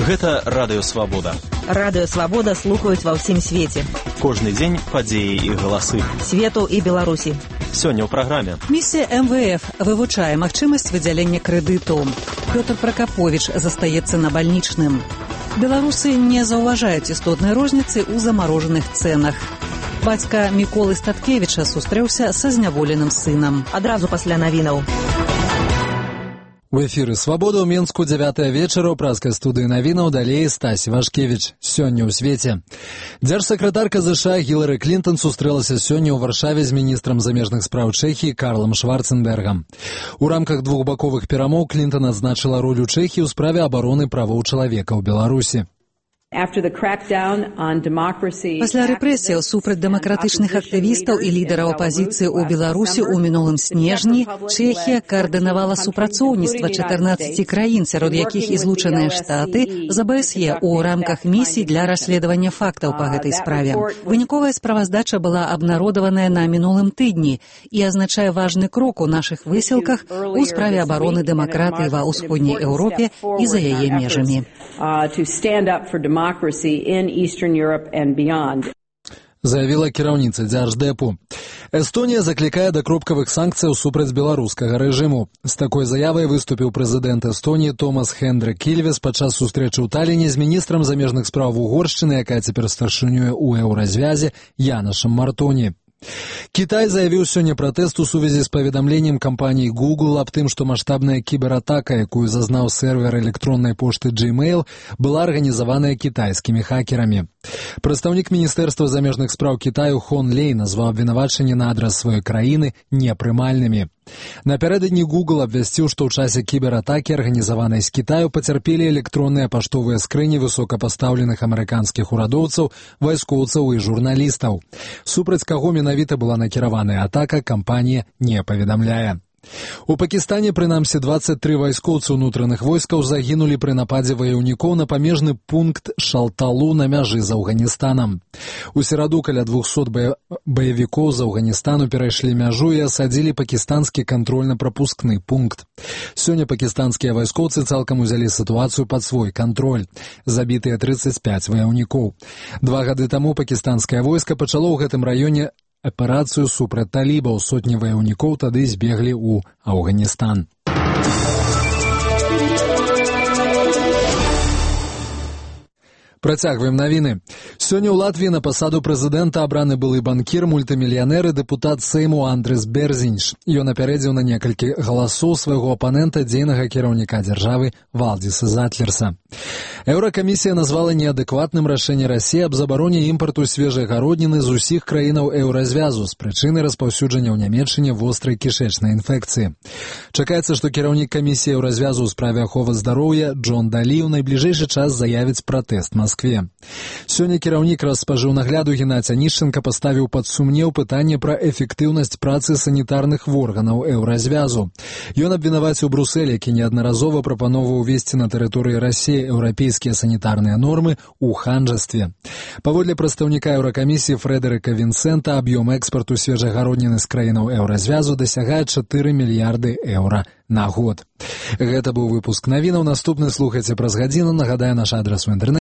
Гэта Радыё Свабода. Радыё Свабода слухаюць ва ўсім свеце. Кожны дзень падзеі і галасы. Свету і Беларусі. Сёння ў праграме. Місія МВФ вывучае магчымасць выдзялення крэдыту. Пётр Пракаповіч застаецца на бальнічным. Беларусы не заўважаюць істотнай розніцы ў замарожаных цэнах. Бацька Міколы Статкевіча сустрэўся са зняволеным сынам. Адразу пасля навінаў. У эфіры «Свабода» ў Менску 9 вечара ў празкай студыі навінаў, далей Стась Вашкевіч. Сёння ў свеце. Дзяржсакратарка ЗША Гілары Клінтон сустрэлася сёння ў Варшаве з міністрам замежных спраў Чэхіі Карлам Шварценбергам. У рамках двухбаковых перамоў Клінтон адзначыла ролю Чэхіі ў справе абароны правоў чалавека ў Беларусі. Пасля рэпрэсіяў супраць дэмакратычных актывістаў і лідараў апазіцыі ў Беларусі ў мінулым снежні Чэхія каардынавала супрацоўніцтва 14 краін, сярод якіх і Злучаныя Штаты, з АБСЕ ў рамках місій для расследавання фактаў па гэтай справе. Выніковая справаздача была абнародаваная на мінулым тыдні і азначае важны крок у нашых высілках у справе абароны дэмакратыі ва ўсходняй Еўропе і за яе межамі. Заявіла кіраўніца дзярждэпу. Эстонія заклікае да кропкавых санкцыяў супраць беларускага рэжыму. З такой заявай выступіў прэзідэнт Эстонії Томас Хендрик Ільвес падчас сустрэчы ў Таліне з міністрам замежных спраў Угоршчыны, якая цяпер старшынюе ў еўразвязе, Янашам Мартоні. Кітай заявіў сёння пратэст у сувязі з паведамленнем кампаніі Google аб тым, што маштабная кібератака, якую зазнаў сервер электроннай пошты Gmail, была арганізаваная кітайскімі хакерамі. Прадстаўнік міністэрства замежных спраў Кітаю Хон Лей назваў абвінавачанні на адрас сваёй краіны непрымальнымі. Напярэдадні Google абвясціў, што ў часе кібератакі, арганізаванай з Кітаю, пацярпелі электронныя паштовыя скрыні высокапастаўленых амерыканскіх урадоўцаў, вайскоўцаў і журналістаў. Супраць каго менавіта была накіраваная атака, кампанія не паведамляе. У Пакістане, прынамсі, 23 вайскоўцы ўнутраных войскаў загінулі пры нападзе ваяўнікоў на памежны пункт Шалталу на мяжы з Афганістанам. У сераду каля 200 баевікоў з Афганістану перайшлі мяжу і асадзілі пакістанскі кантрольна-прапускны пункт. Сёння пакістанскія вайскоўцы цалкам узялі сітуацыю пад свой кантроль. Забітыя 35 ваяўнікоў. 2 гады таму пакістанскае войска пачало ў гэтым раёне аперацыю супраць талібаў. Сотні ваяўнікоў тады збеглі ў Афганістан. Працягваем навіны. Сёння ў Латвіі на пасаду прэзідэнта абраны былы банкір, мультымільянер і дэпутат Сейму Андрес Берзінш. Ён апярэдзіў на некалькі галасоў свайго апанента, дзейнага кіраўніка дзяржавы Валдзіса Затлерса. Еўракамісія назвала неадэкватным рашэнне Расіі аб забароне імпарту свежай гародніны з усіх краінаў еўразвязу з прычыны распаўсюджання ў Нямецчыне вострай кішэчнай інфекцыі. Чакаецца, што кіраўнік камісіі еўразвязу ў справе аховы здароўя Джон Далі ў найбліжэйшы час заявіць пратэст Маскве. Сёння кіраўнік Распажыўнагляду Геннадзь Анішченка паставіў пад сумнеў пытанне пра эфектыўнасць працы санітарных органаў еўразвязу. Ён абвінаваціў Брусэль, які неаднаразова прапановваў увесці на тэрыторыі Расіі еўрапейскія санітарныя нормы ў ханжастве. Паводле прадстаўніка Еўракамісіі Фрэдэрыка Вінсента, аб'ём экспарту свежай гародніны з краінаў еўразвязу дасягае 4 мільярды еўра на год. Гэта быў выпуск навінаў. Наступны слухайце праз гадзіну. Нагадаю, наш адрас у інтэрнэце